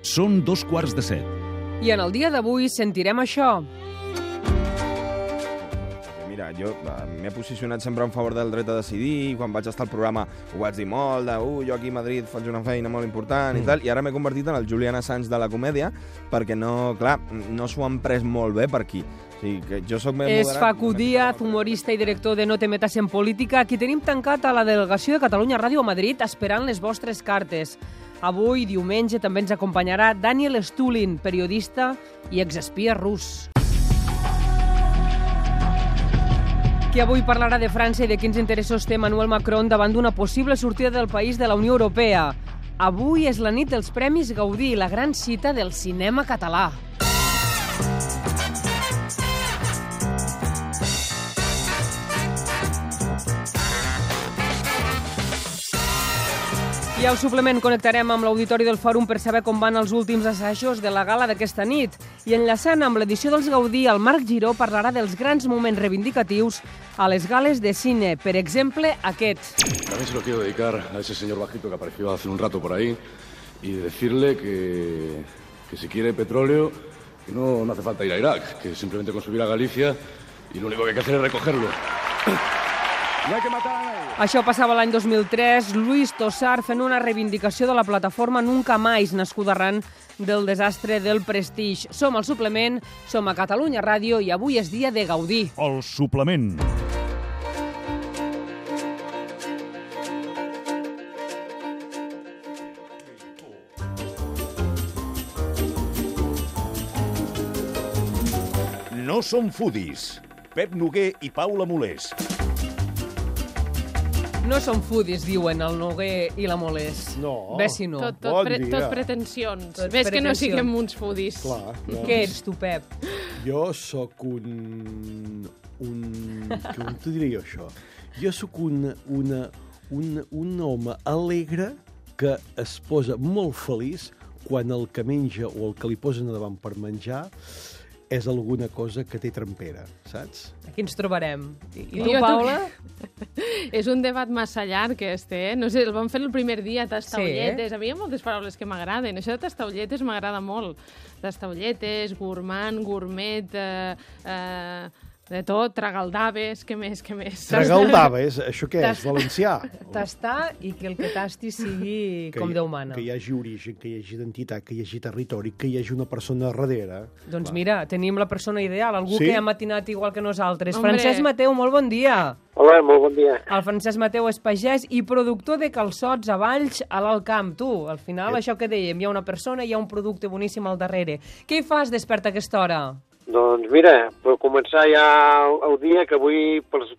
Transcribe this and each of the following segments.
Són 2:15. I en el dia d'avui sentirem això. Mira, jo m'he posicionat sempre en favor del dret a decidir, quan vaig estar al programa ho vaig dir molt, jo aquí a Madrid faig una feina molt important i tal, i ara m'he convertit en el Julian Assange de la comèdia, perquè no s'ho han pres molt bé per aquí. O sigui, que jo soc més moderat. És Facu Díaz, humorista i director de No te metas en política. Aquí tenim tancat a la delegació de Catalunya Ràdio a Madrid esperant les vostres cartes. Avui, diumenge, també ens acompanyarà Daniel Stulin, periodista i exespia rus. Qui avui parlarà de França i de quins interessos té Emmanuel Macron davant d'una possible sortida del país de la Unió Europea. Avui és la nit dels Premis Gaudí, la gran cita del cinema català. I al suplement connectarem amb l'auditori del Fòrum per saber com van els últims assajos de la gala d'aquesta nit. I enllaçant amb l'edició dels Gaudí, el Marc Giró parlarà dels grans moments reivindicatius a les gales de cine. Per exemple, aquest. También se lo quiero dedicar a ese señor bajito que apareció hace un rato por ahí y decirle que si quiere petróleo, que no hace falta ir a Irak, que simplemente con subir a Galicia y lo único que hay que hacer es recogerlo. No hay que matar a nadie. Això passava l'any 2003, Luis Tosar fent una reivindicació de la plataforma Nunca Más, nascuda arran del desastre del Prestige. Som al suplement, som a Catalunya Ràdio i avui és dia de Gaudí. El suplement. No som foodies. Pep Noguer i Paula Molés. No som foodies, diuen el Noguer i la Molés. No. Ves si no. Tot pretensions. Tot Ves que no pretensions. siguem uns foodies. Clar, no. Què ets tu, Pep? Jo sóc com t'ho diré jo, això? Jo sóc un home alegre que es posa molt feliç quan el que menja o el que li posen davant per menjar és alguna cosa que té trempera, saps? Aquí ens trobarem. I tu, Jo Paula? És un debat massa llarg, No sé, el vam fer el primer dia, tastaulletes. Sí. A mi hi ha moltes paraules que m'agraden. Això de tastaulletes m'agrada molt. Tastaulletes, gourmand, gourmet, de tot, tragaldaves, què més? Tragaldaves, això què és? Valencià? Tastar i que el que tasti sigui com Déu mana. Que hi hagi origen, que hi hagi identitat, que hi hagi territori, que hi hagi una persona darrere. Doncs mira, tenim la persona ideal, algú Sí? que ha matinat igual que nosaltres. Hombre. Francesc Mateu, molt bon dia. Hola, molt bon dia. El Francesc Mateu és pagès i productor de calçots a Valls, a l'Alt Camp. Tu, al final, això que dèiem, hi ha una persona i hi ha un producte boníssim al darrere. Què hi fas despert a aquesta hora? Doncs mira, per començar ja el dia, que avui pels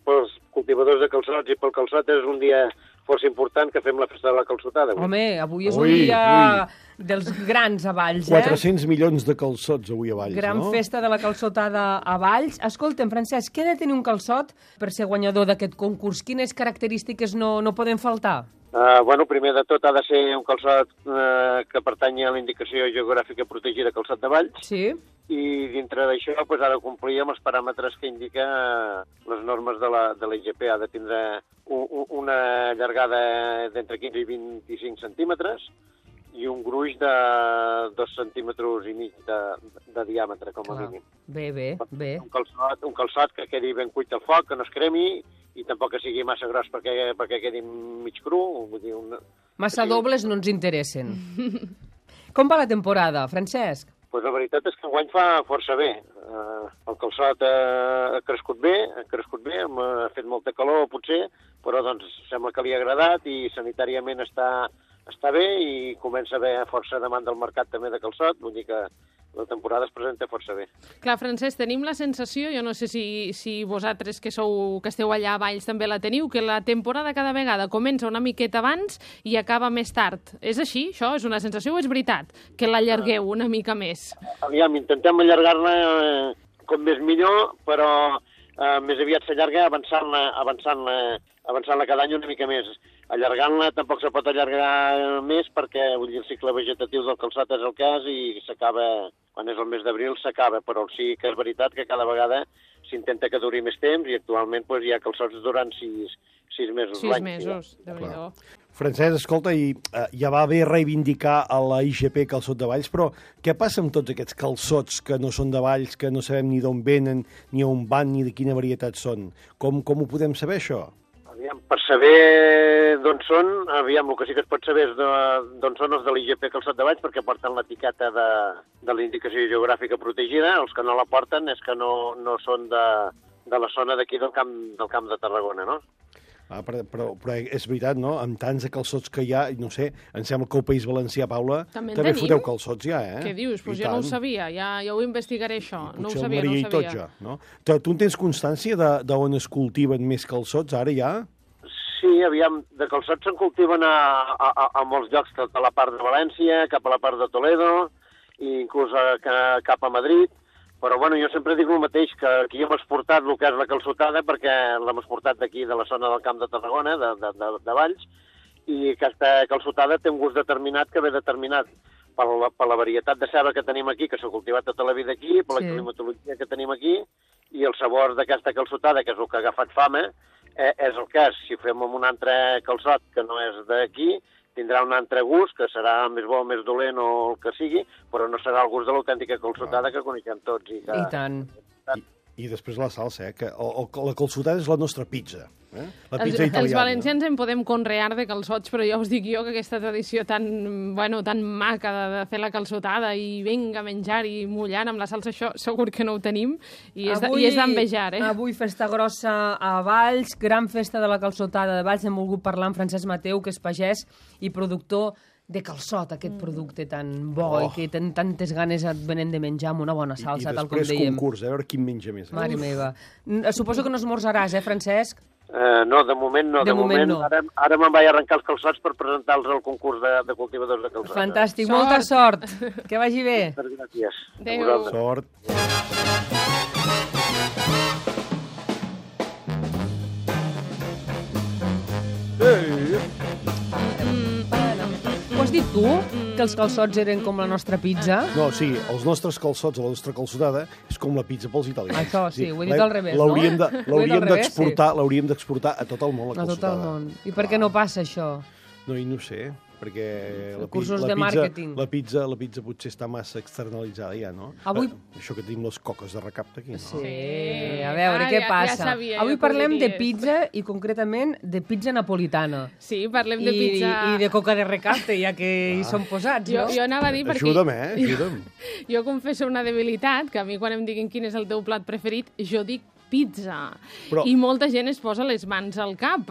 cultivadors de calçots i pel calçot és un dia força important, que fem la festa de la calçotada. Home, avui és un Ui, dia dels grans a Valls, 400 milions de calçots avui a Valls, Gran no? festa de la calçotada a Valls. Escolta'm, Francesc, què ha de tenir un calçot per ser guanyador d'aquest concurs? Quines característiques no poden faltar? Bueno, primer de tot ha de ser un calçot que pertanyi a la indicació geogràfica protegida calçot de Valls, Sí? i dintre d'això ha de complir amb els paràmetres que indica les normes de la IGP. Ha de tindre una llargada d'entre 15 i 25 centímetres i un gruix de 2 centímetres i mig de diàmetre, com a mínim. Bé. Un calçot que quedi ben cuit al foc, que no es cremi, i tampoc que sigui massa gros perquè quedi mig cru. Vull dir, Massa dobles no ens interessen. Com va la temporada, Francesc? Pues la veritat és que enguany fa força bé. El calçot ha crescut bé, ha fet molta calor potser, però doncs sembla que li ha agradat i sanitàriament està bé i comença a haver força demanda al mercat també de calçot, vull dir que la temporada es presenta força bé. Clar, Francesc, tenim la sensació, jo no sé si vosaltres que esteu allà a Valls també la teniu, que la temporada cada vegada comença una miqueta abans i acaba més tard. És així, això? És una sensació o és veritat que l'allargueu una mica més? Aviam, intentem allargar-la com més millor, però més aviat s'allarga avançant-la cada any una mica més. Allargant-la tampoc se pot allargar més perquè vull dir, el cicle vegetatiu del calçat és el que és i s'acaba, quan és el mes d'abril s'acaba, però sí que és veritat que cada vegada s'intenta que duri més temps i actualment doncs, hi ha calçots durant 6 mesos l'any. 6 mesos, Déu-n'hi-do. Francesc, escolta, i ja va bé reivindicar a la IGP Calçot de Valls, però què passa amb tots aquests calçots que no són de Valls, que no sabem ni d'on venen, ni on van, ni de quina varietat són? Com ho podem saber, això? Aviam, per saber d'on són, el que sí que es pot saber és d'on són els de l'IGP Calçot de Valls, perquè porten l'etiqueta de la indicació geogràfica protegida. Els que no la porten és que no són de la zona d'aquí del camp de Tarragona, no? Però és veritat, no? Amb tants de calçots que hi ha, no sé, em sembla que al País Valencià, Paula, també foteu calçots ja, eh? Què dius? Pues jo no ho sabia, ja ho investigaré, això. No ho sabia, no ho sabia. Tot ja, no? Tu en tens constància d'on es cultiven més calçots, ara ja? Sí, aviam, de calçots se'n cultiven a molts llocs, a la part de València, cap a la part de Toledo, i inclús cap a Madrid. Però, bueno, jo sempre dic el mateix, que aquí hem exportat el que és la calçotada, perquè l'hem exportat d'aquí, de la zona del Camp de Tarragona, de Valls, i aquesta calçotada té un gust determinat que ve determinat per la varietat de ceba que tenim aquí, que s'ha cultivat tota la vida aquí, per la climatologia que tenim aquí, i el sabor d'aquesta calçotada, que és el que ha agafat fama, és el que és. Si ho fem amb un altre calçot que no és d'aquí, tindrà un altre gust, que serà més bo o més dolent o el que sigui, però no serà el gust de l'autèntica calçotada que coneixem tots. I tant. I després la salsa, que la calçotada és la nostra pizza. La pizza italiana. Els valencians en podem conrear de calçots, però ja us dic jo que aquesta tradició tan maca de fer la calçotada i vinga a menjar i mullant amb la salsa, això segur que no ho tenim i és d'envejar. Avui festa grossa a Valls, gran festa de la calçotada de Valls. Hem volgut parlar amb Francesc Mateu, que és pagès i productor de calçot, aquest producte tan bo i que tenen tantes ganes et venen de menjar amb una bona salsa, tal com dèiem. I després concurs, a veure quin menja més. Mare meva. Suposo que no esmorzaràs, Francesc? No, de moment no. De moment no. Ara me'n vaig arrencar els calçots per presentar-los al concurs de cultivadors de calçots. Fantàstic, molta sort. Que vagi bé. Moltes gràcies. Adéu. Sort. Ho has dit tu, que els calçots eren com la nostra pizza? No, sí, els nostres calçots, la nostra calçotada, és com la pizza pels italians. Això sí, ho he dit al revés, no? L'hauríem d'exportar a tot el món, la calçotada. A tot el món. I per què no passa això? No, i no sé, perquè cursos de màrqueting. La pizza potser està massa externalitzada ja, no? Avui... Això que tenim les coques de recapte aquí, no? Sí, a veure, què passa? Avui parlem de pizza i concretament de pizza napolitana. Sí, parlem de pizza... I de coca de recapte, ja que hi són posats, no? Jo anava a dir perquè... Ajuda'm, ajuda'm. Jo confesso una debilitat, que a mi quan em diguin quin és el teu plat preferit, jo dic pizza. Però... I molta gent es posa les mans al cap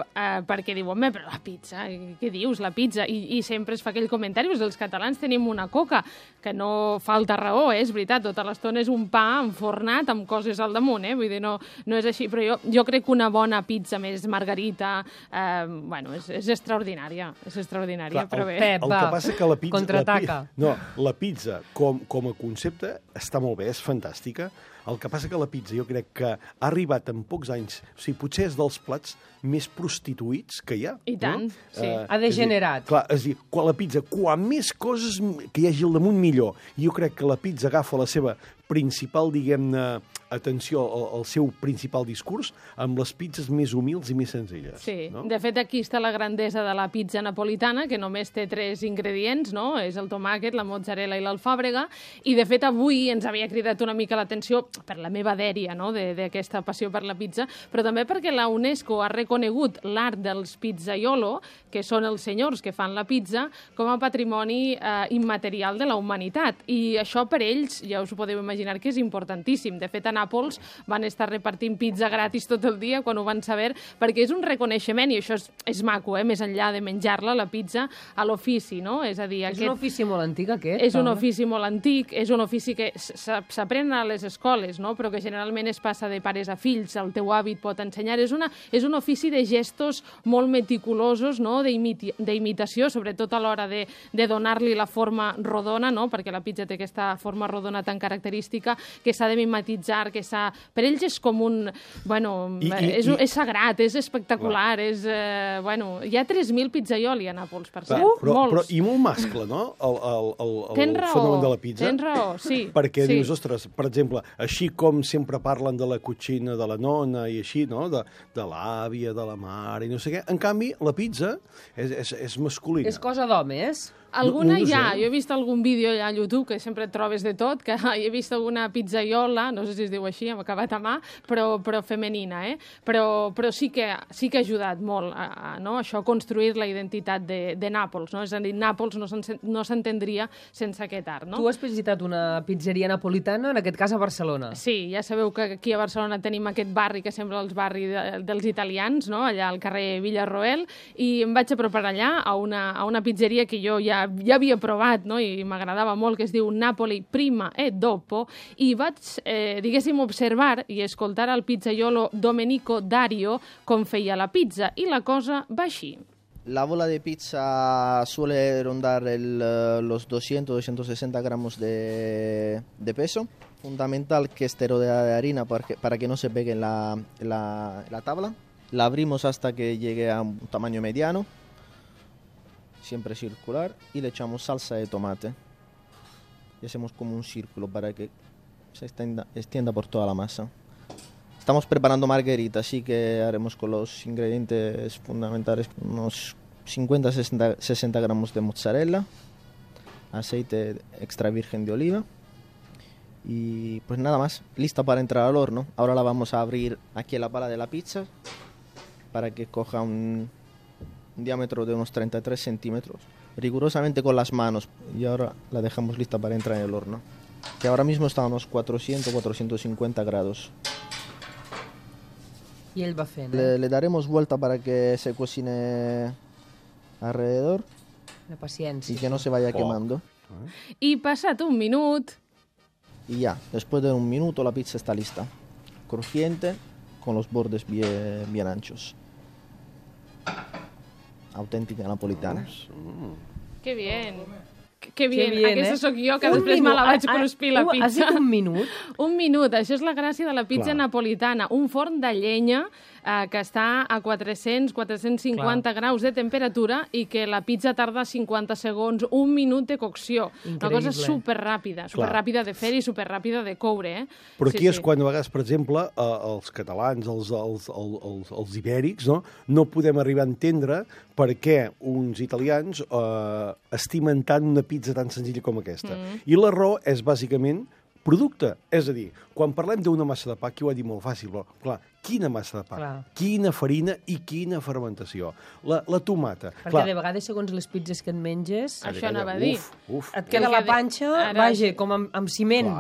perquè diu, home, però la pizza, què dius, la pizza? I sempre es fa aquell comentari, els catalans tenim una coca, que no falta raó, és veritat, tota l'estona és un pa enfornat amb coses al damunt, vull dir, no és així, però jo crec que una bona pizza més margarita, és extraordinària, Clar, però bé. Pep, va, contraataca. La pizza com a concepte està molt bé, és fantàstica. El que passa que la pizza jo crec que ha arribat en pocs anys, o sigui, potser és dels plats més prostituïts que hi ha. I tant, no? sí. Ha degenerat. És a dir, quan més coses que hi hagi al damunt, millor. I jo crec que la pizza agafa la seva principal, diguem-ne, atenció, el seu principal discurs amb les pizzas més humils i més senzilles. Sí, no? De fet, aquí està la grandesa de la pizza napolitana, que només té 3 ingredients, no? És el tomàquet, la mozzarella i l'alfàbrega, i de fet avui ens havia cridat una mica l'atenció per la meva dèria, no?, d'aquesta passió per la pizza, però també perquè la UNESCO ha reconegut l'art dels pizzaiolo, que són els senyors que fan la pizza, com a patrimoni immaterial de la humanitat. I això per ells, ja us ho podeu imaginar, que és importantíssim. De fet, a Nàpols van estar repartint pizza gratis tot el dia quan ho van saber, perquè és un reconeixement, i això és maco, més enllà de menjar-la, la pizza, a l'ofici, no? És a dir, un ofici molt antic, aquest. És un ofici molt antic, és un ofici que s'aprèn a les escoles, no? Però que generalment es passa de pares a fills, el teu avi et pot ensenyar. És un ofici de gestos molt meticulosos, no?, d'imitació, sobretot a l'hora de donar-li la forma rodona, no?, perquè la pizza té aquesta forma rodona tan característica, artística, que s'ha de mimetitzar, per ells és com un... Bueno, és sagrat, és espectacular, és... Bueno, hi ha 3.000 pizzaioli a Nàpols, per cert. Però i molt mascle, no? El fenomen de la pizza. Tens raó, sí. Perquè dius, ostres, per exemple, així com sempre parlen de la cucina de la nona i així, no? De l'àvia, de la mare i no sé què. En canvi, la pizza és masculina. És cosa d'homes. Alguna hi ha. Jo he vist algun vídeo allà a YouTube, que sempre et trobes de tot, que he vist alguna pizzaiola, no sé si es diu així, hem acabat a mà, però femenina, eh? Però sí que ha ajudat molt a això, a construir la identitat de Nàpols, no? És a dir, Nàpols no s'entendria sense aquest art, no? Tu has visitat una pizzeria napolitana, en aquest cas a Barcelona. Sí, ja sabeu que aquí a Barcelona tenim aquest barri que sembla el barri dels italians, no? Allà al carrer Villarroel, i em vaig apropar allà a una pizzeria que jo ja havia provat, no? I m'agradava molt, que es diu Napoli Prima e Dopo, i vaig, diguéssim, observar i escoltar al pizzaiolo Domenico Dario com feia la pizza, i la cosa va així. La bola de pizza suele rondar los 200-260 gramos de peso. Fundamental que esté rodeada de harina para que no se pegue en la tabla. La abrimos hasta que llegue a un tamaño mediano, siempre circular, y le echamos salsa de tomate. Y hacemos como un círculo para que se extienda por toda la masa. Estamos preparando margarita, así que haremos con los ingredientes fundamentales unos 50-60 gramos de mozzarella, aceite extra virgen de oliva y pues nada más, lista para entrar al horno. Ahora la vamos a abrir aquí en la pala de la pizza para que coja un diámetro de unos 33 centímetros, rigurosamente con las manos, y ahora la dejamos lista para entrar en el horno, que ahora mismo está a unos 400-450 grados. I ell va fent, Le daremos vuelta para que se cocine alrededor La paciència. y que no se vaya quemando. I passat un minut... Y ya, después de un minuto la pizza está lista, crujiente, con los bordes bien anchos. Auténtica napolitana. Que bien. Que bien. Aquesta sóc jo, que després me la vaig cruspir, la pizza. Has dit un minut? Un minut, això és la gràcia de la pizza napolitana. Un forn de llenya que està a 400-450 graus de temperatura i que la pizza tarda 50 segons, un minut de cocció. Increïble. Una cosa superràpida de fer i superràpida de coure. Però aquí és quan a vegades, per exemple, els catalans, els ibèrics, no podem arribar a entendre per què uns italians estimen tant una pizza tan senzilla com aquesta. I la raó és bàsicament producte. És a dir, quan parlem d'una massa de pa, aquí ho ha dit molt fàcil, però, clar, quina massa de pa, quina farina i quina fermentació. La tomata. Perquè de vegades, segons les pizzas que et menges... Això anava a dir. Et queda la panxa, vaja, com amb ciment.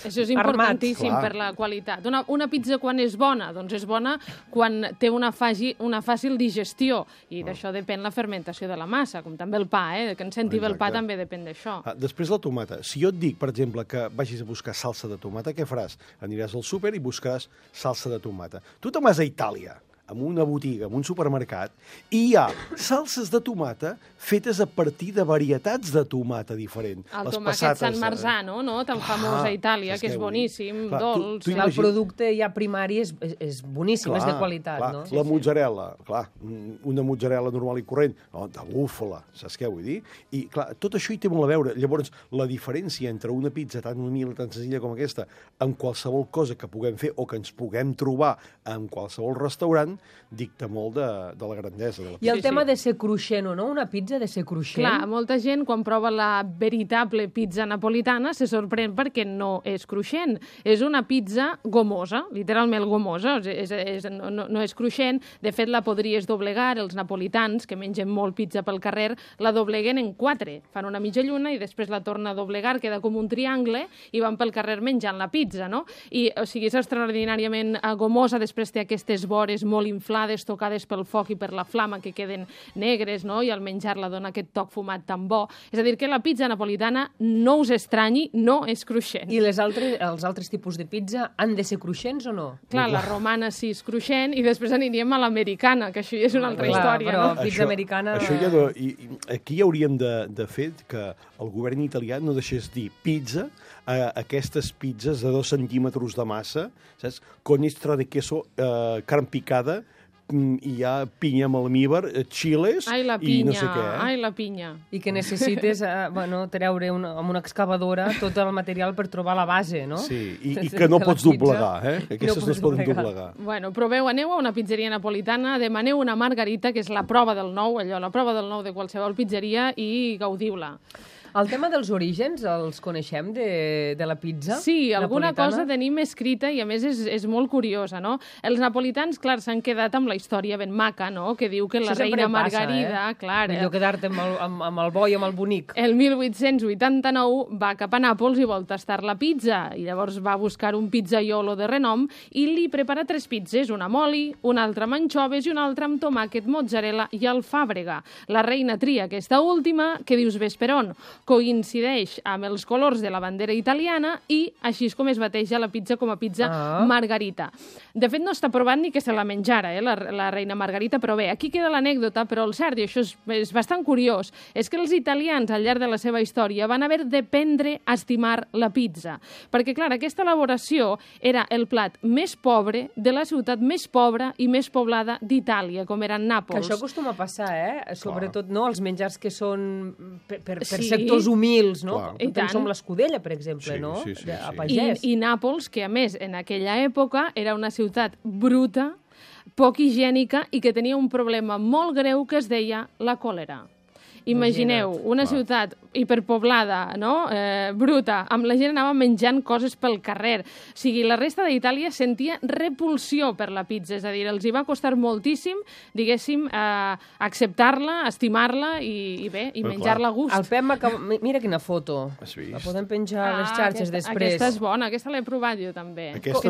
Això és importantíssim per la qualitat. Una pizza quan és bona? Doncs és bona quan té una fàcil digestió, i d'això depèn la fermentació de la massa, com també el pa, que ens sentim el pa també depèn d'això. Després la tomata. Si jo et dic, per exemple, que vagis a buscar salsa de tomata, què faràs? Aniràs al súper i buscaràs salsa de tomata. Tu te'n vas a Itàlia, en una botiga, en un supermercat, i hi ha salses de tomata fetes a partir de varietats de tomata diferent. El tomàquet San Marzano, no? Tan famós a Itàlia, que és boníssim, dolç. El producte ja primari és boníssim, és de qualitat, no? La mozzarella, clar, una mozzarella normal i corrent, de búfala, saps què vull dir? I, clar, tot això hi té molt a veure. Llavors, la diferència entre una pizza tan humil, tan senzilla com aquesta, amb qualsevol cosa que puguem fer o que ens puguem trobar en qualsevol restaurant, dicta molt de la grandesa de la pizza. I el tema de ser cruixent o no, una pizza de ser cruixent. Clar, molta gent, quan prova la veritable pizza napolitana, se sorprèn perquè no és cruixent. És una pizza gomosa, literalment gomosa, no és cruixent. De fet, la podries doblegar. Els napolitans, que mengen molt pizza pel carrer, la dobleguen en 4. Fan una mitja lluna i després la torna a doblegar, queda com un triangle, i van pel carrer menjant la pizza, no? I, o sigui, és extraordinàriament gomosa, després té aquestes vores molt molt inflades, tocades pel foc i per la flama, que queden negres, no? I al menjar-la dona aquest toc fumat tan bo. És a dir, que la pizza napolitana, no us estranyi, no és cruixent. I els altres tipus de pizza han de ser cruixents o no? Clar, la romana sí és cruixent, i després aniríem a l'americana, que això ja és una altra història, però no? pizza americana... Això ja no, aquí hauríem de fer que el govern italià no deixés dir pizza a aquestes pizzas de 2 centímetres de massa, saps? Con extra de queso, carn picada, i hi ha pinya amb almíbar, chiles i no sé què. Ai, la pinya. I que necessites treure amb una excavadora tot el material per trobar la base, no? Sí, i que no pots doblegar, Aquestes no es poden doblegar. Bueno, proveu, aneu a una pizzeria napolitana, demaneu una margarita, que és la prova del nou, la prova del nou de qualsevol pizzeria, i gaudiu-la. El tema dels orígens els coneixem de la pizza? Sí, alguna napolitana? cosa tenim escrita i a més és molt curiosa, no? Els napolitans, clar, s'han quedat amb la història ben maca, no? Que diu que la reina Margarida... Clar, millor quedar-te amb el bo i amb el bonic. El 1889 va cap a Nàpols i vol tastar la pizza, i llavors va buscar un pizzaiolo de renom i li prepara 3 pizzes, una amb oli, una altra amb anxoves i una altra amb tomàquet, mozzarella i alfàbrega. La reina tria aquesta última, que dius ves per on, coincideix amb els colors de la bandera italiana i així és com es bateja la pizza com a pizza margarita. De fet, no està provat ni que se la menjara, la reina Margarita, però bé, aquí queda l'anècdota, però el cert, i això és bastant curiós, és que els italians, al llarg de la seva història, van haver d'aprendre a estimar la pizza. Perquè, clar, aquesta elaboració era el plat més pobre de la ciutat més pobra i més poblada d'Itàlia, com era Nàpols. Que això acostuma a passar, Sobretot, no?, els menjars que són per sectors humils, no? Com l'Escudella, per exemple, no? A pagès. I Nàpols, que a més, en aquella època, era una ciutat bruta, poc higiènica i que tenia un problema molt greu que es deia la còlera. Imagineu una ciutat hiperpoblada, no? Bruta, amb la gent anava menjant coses pel carrer. O sigui, la resta d'Itàlia sentia repulsió per la pizza, és a dir, els hi va costar moltíssim, diguéssim, acceptar-la, estimar-la i bé, i menjar-la a gust. El Pep mira quina foto. La podem penjar a les xarxes després. Aquesta és bona, aquesta l'he provat jo també. Aquesta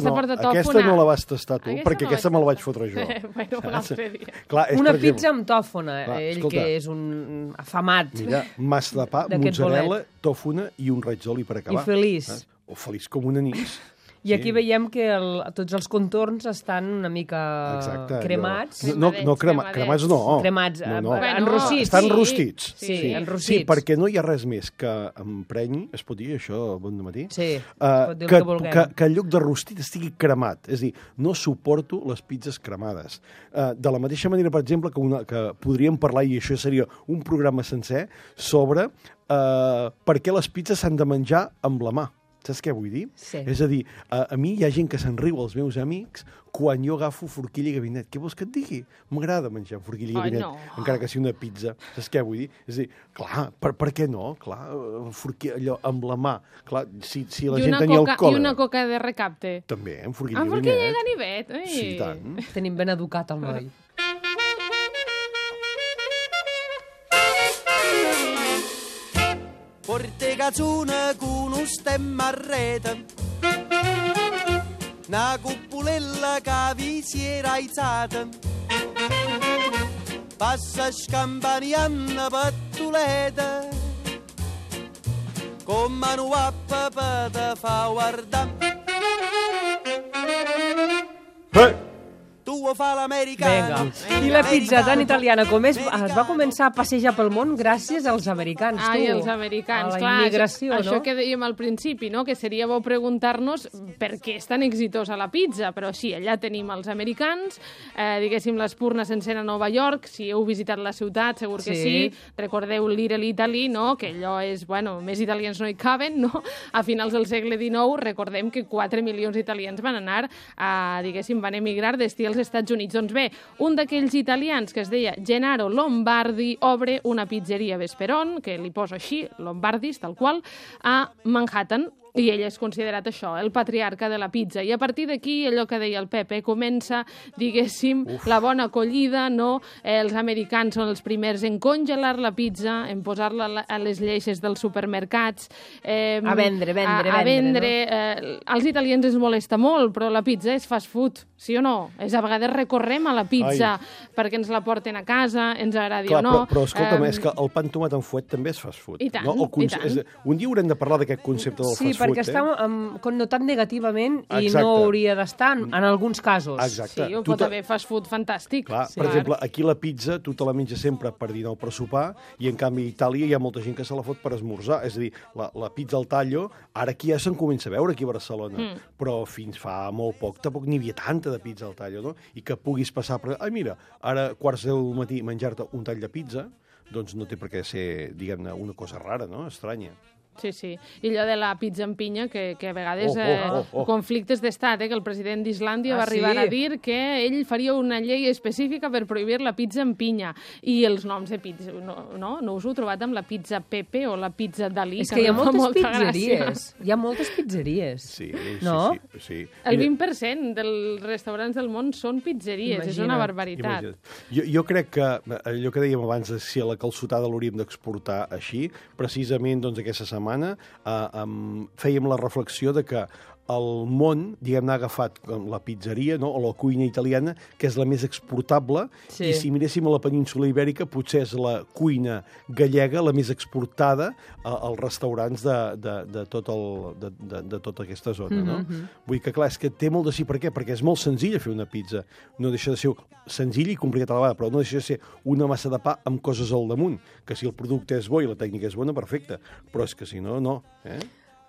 no la vas tastar tu, perquè aquesta me la vaig fotre jo. Bueno, un altre dia. Una pizza amb tòfona, ell que és un afamat. Mira, massa de pa, mozzarella, tòfona i un raig d'oli per acabar. I feliç. O feliç com un anís. I aquí veiem que tots els contorns estan una mica cremats. No, cremats no. Cremats, enrossits. Estan rostits. Sí, enrossits. Sí, perquè no hi ha res més que emprenyi, es pot dir això, bon matí? Sí, pot dir el que vulguem. Que en lloc de rostit estigui cremat. És a dir, no suporto les pizzas cremades. De la mateixa manera, per exemple, que podríem parlar, i això seria un programa sencer, sobre per què les pizzas s'han de menjar amb la mà. Saps què vull dir? Sí. És a dir, a mi hi ha gent que se'n riu, als meus amics, quan jo agafo forquilla i gabinet. Què vols que et digui? M'agrada menjar forquilla i gabinet, encara que sigui una pizza. Saps què vull dir? És a dir, clar, per què no? Clar, forquilla, allò, amb la mà. Clar, si la gent tenia el còlera... I una coca de recapte. També, amb forquilla i gabinet. Amb forquilla i ganivet. Sí, tant. Tenim ben educat el noi. Porte cazzuna con un stemma a rete, una cuppolella che vi si era alzata, passa scampaniando pattuleta, con mano a papà te fa guardare. Tu ho fa l'americano. I la pizza tan italiana com es va començar a passejar pel món gràcies als americans, tu. Ai, els americans, clar. A la immigració, no? Això que dèiem al principi, no? Que seria bo preguntar-nos per què és tan exitosa la pizza, però sí, allà tenim els americans, diguéssim, l'Espurna s'encén a Nova York, si heu visitat la ciutat, segur que sí. Recordeu Little Italy, no? Que allò és, bueno, més italians no hi caben, no? A finals del segle XIX, recordem que 4 milions d'italians van anar diguéssim, van emigrar d'estil als Estats Units. Doncs bé, un d'aquells italians que es deia Gennaro Lombardi obre una pizzeria Vesperon, que li poso així, Lombardis, tal qual, a Manhattan. I ell és considerat això, el patriarca de la pizza. I a partir d'aquí, allò que deia el Pepe, comença, diguéssim, la bona acollida, no? Els americans són els primers en congelar la pizza, en posar-la a les lleixes dels supermercats, a vendre, no? Als italians ens molesta molt, però la pizza és fast food, sí o no? A vegades recorrem a la pizza perquè ens la porten a casa, ens agradi o no. Però escolta'm, és que el pa amb tomat amb fuet també és fast food. I tant, no? i tant. Un dia haurem de parlar d'aquest concepte del fast food. Sí, perquè està connotat negativament i Exacte. no hauria d'estar en alguns casos. Exacte. Sí, pot haver fast food fantàstic. Clar, per exemple, aquí la pizza tu te la menges sempre per dinar o per sopar i en canvi a Itàlia hi ha molta gent que se la fot per esmorzar. És a dir, la pizza al tallo, ara aquí ja se'n comença a veure aquí a Barcelona, però fins fa molt poc tampoc n'hi havia tanta de pizza al tallo, no? I que puguis passar per... Ai, mira, ara quarts del matí menjar-te un tall de pizza, doncs no té per què ser, diguem-ne, una cosa rara, no? Estranya. Sí, sí. I allò de la pizza amb pinya, que a vegades conflictes d'estat, que el president d'Islàndia va arribar a dir que ell faria una llei específica per prohibir la pizza amb pinya. I els noms de pizza, no us ho heu trobat amb la pizza Pepe o la pizza Dalí? És que hi ha moltes pizzeries. Hi ha moltes pizzeries. Sí, no? sí. El 20% dels restaurants del món són pizzeries. Imagina't. És una barbaritat. Jo crec que allò que dèiem abans de si a la calçotada l'hauríem d'exportar així, precisament doncs, aquesta setmana fèiem la reflexió de que el món, diguem-ne, ha agafat la pizzeria, no? O la cuina italiana, que és la més exportable, i si miréssim a la península Ibèrica, potser és la cuina gallega la més exportada als restaurants de tota aquesta zona, no? Vull dir que, clar, és que té molt de sí. Per què? Perquè és molt senzill fer una pizza. No deixa de ser senzill i complicat a la vegada, però no deixa de ser una massa de pa amb coses al damunt, que si el producte és bo i la tècnica és bona, perfecte, però és que si no, no.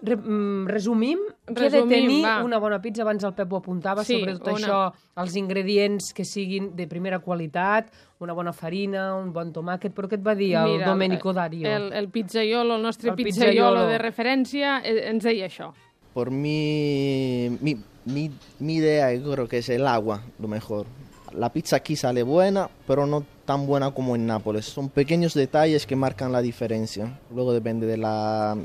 Resumim què ha de tenir una bona pizza. Abans el Pep ho apuntava, sobretot això, els ingredients que siguin de primera qualitat, una bona farina, un bon tomàquet, però què et va dir el Domenico Dario? El pizzaiolo, el nostre pizzaiolo de referència, ens deia això. Por mi idea, yo creo que es el agua, lo mejor. La pizza aquí sale buena, pero no tan buena como en Nápoles. Son pequeños detalles que marcan la diferencia. Luego depende de la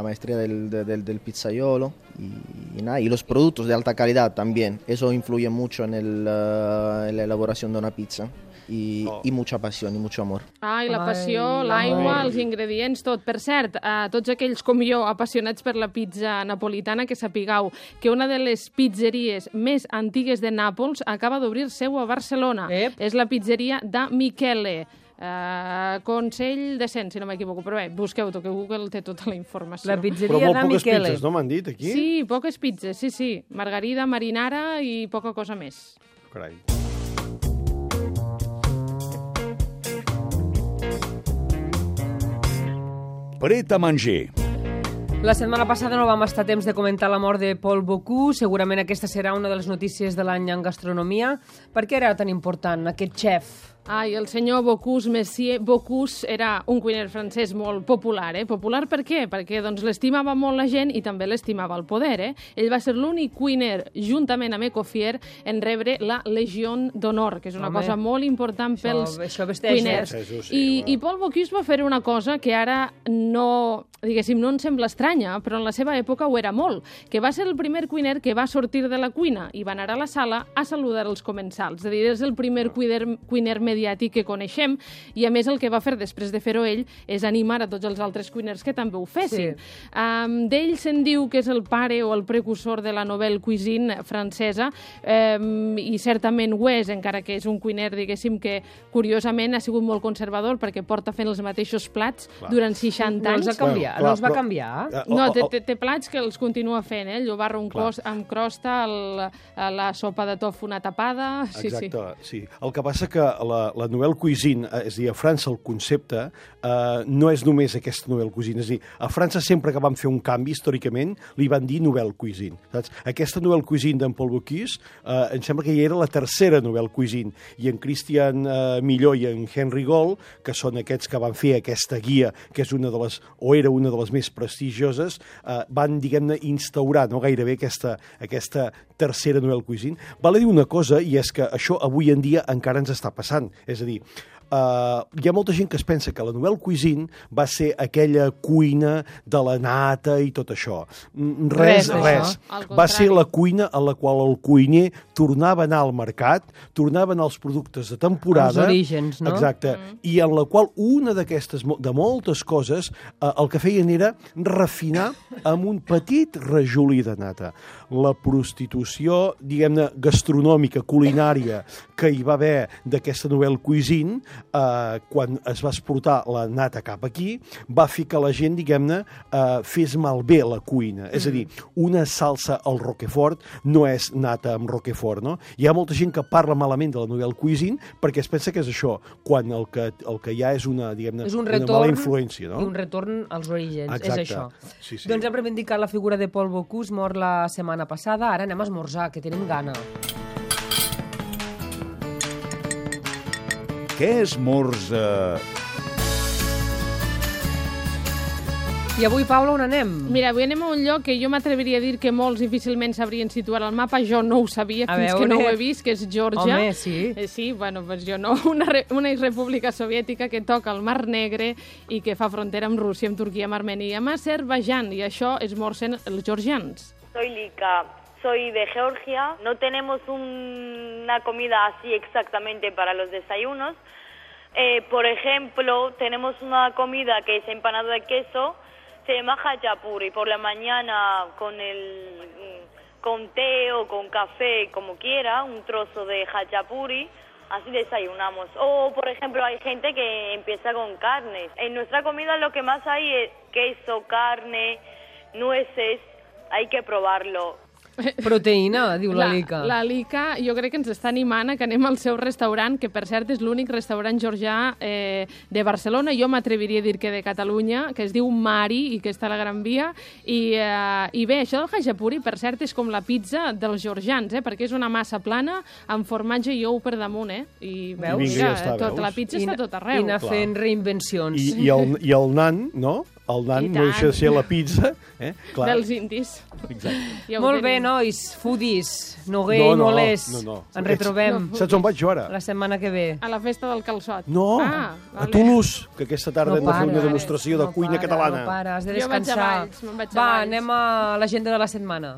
maestría del pizzaiolo y los productos de alta calidad también. Eso influye mucho en la elaboración de una pizza. I mucha passió i mucho amor. I la passió, l'aigua, els ingredients, tot. Per cert, a tots aquells com jo apassionats per la pizza napolitana, que sapigueu que una de les pizzeries més antigues de Nàpols acaba d'obrir seu a Barcelona. És la pizzeria da Michele. Consell de Cent, si no m'equivoco, però bé, busqueu-ho, que Google té tota la informació. La pizzeria da Michele. Però molt poques pizzas, no m'han dit, aquí? Sí, poques pizzas, sí. Margarida, marinara i poca cosa més. Carai. Pret a manger. La setmana passada no vam estar a temps de comentar la mort de Paul Bocuse. Segurament aquesta serà una de les notícies de l'any en gastronomia. Per què era tan important aquest xef? El senyor Bocuse, Monsieur Bocuse, era un cuiner francès molt popular. Popular per què? Perquè l'estimava molt la gent i també l'estimava el poder. Ell va ser l'únic cuiner, juntament amb Escoffier, en rebre la Legió d'Honor, que és una cosa molt important pels cuiners. I Paul Bocuse va fer una cosa que ara no, diguéssim, no ens sembla estranya, però en la seva època ho era molt, que va ser el primer cuiner que va sortir de la cuina i va anar a la sala a saludar els comensals. És a dir, és el primer cuiner mediàtic que coneixem, i a més el que va fer després de fer-ho ell és animar a tots els altres cuiners que també ho fessin. D'ell se'n diu que és el pare o el precursor de la nouvelle cuisine francesa, i certament ho és, encara que és un cuiner, diguéssim, que curiosament ha sigut molt conservador perquè porta fent els mateixos plats durant 60 anys. No els va canviar? No, té plats que els continua fent, el llobarro amb crosta, la sopa de tofu una tapada... Exacte, sí. El que passa que la nouvelle cuisine, és a dir, a França el concepte no és només aquesta nouvelle cuisine, és a dir, a França sempre que van fer un canvi històricament li van dir nouvelle cuisine, saps? Aquesta nouvelle cuisine d'en Paul Bocuse em sembla que ja era la tercera nouvelle cuisine, i en Christian Millot i en Henry Gold, que són aquests que van fer aquesta guia, que és una de les, o era una de les més prestigioses, van, diguem-ne, instaurar gairebé aquesta tercera nouvelle cuisine. Val a dir una cosa, i és que això avui en dia encara ens està passant. És a dir, hi ha molta gent que es pensa que la Nouvelle Cuisine va ser aquella cuina de la nata i tot això. Res. Va ser la cuina a la qual el cuiner tornava a anar al mercat, tornava a anar als productes de temporada. Els orígens, no? Exacte. I en la qual una d'aquestes, de moltes coses, el que feien era refinar amb un petit rajolí de nata. La prostitució, diguem-ne, gastronòmica, culinària, que hi va haver d'aquesta Nouvelle Cuisine, quan es va exportar la nata cap aquí, va fer que la gent, diguem-ne, fes malbé la cuina. És a dir, una salsa al Roquefort no és nata amb Roquefort, no? Hi ha molta gent que parla malament de la Nouvelle Cuisine perquè es pensa que és això, quan el que hi ha és una, diguem-ne, una mala influència, no? I un retorn als orígens, exacte. és això. Sí. Doncs hem reivindicat la figura de Paul Bocuse, mort la setmana passada, ara anem a esmorzar, que tenim gana. Què esmorza? I avui, Paula, on anem? Mira, avui anem a un lloc que jo m'atreviria a dir que molts difícilment sabrien situar al mapa. Jo no ho sabia fins que no ho he vist, que és Geòrgia. Home, sí. Sí, bueno, pues jo no. Una república soviètica que toca el Mar Negre i que fa frontera amb Rússia, amb Turquia, amb Armènia i amb Azerbaiyán. I això esmorcen els georgians. Soy Lika, soy de Georgia. No tenemos una comida así exactamente para los desayunos. Por ejemplo, tenemos una comida que es empanado de queso, se llama hachapuri. Por la mañana con té o con café, como quiera, un trozo de hachapuri, así desayunamos. O, por ejemplo, hay gente que empieza con carne. En nuestra comida lo que más hay es queso, carne, nueces, hay que probarlo. Proteïna, diu la Lika. La Lika jo crec que ens està animant a que anem al seu restaurant, que per cert és l'únic restaurant georgià de Barcelona. Jo m'atreviria a dir que de Catalunya, que es diu Mari i que està a la Gran Via. I bé, això del hachapuri, per cert, és com la pizza dels georgians, perquè és una massa plana amb formatge i ou per damunt, I veus, la pizza està tot arreu. I anar fent reinvencions. I el nan, no? El nan no deixa de ser la pizza. Dels indis. Exacte. Molt bé, nois, foodies, Noguer i Molés. Ens retrobem. Saps on vaig jo ara? La setmana que ve. A la festa del calçot. No, a Toulouse, que aquesta tarda hem de fer una demostració de cuina catalana. No para, has de descansar. Va, anem a l'agenda de la setmana.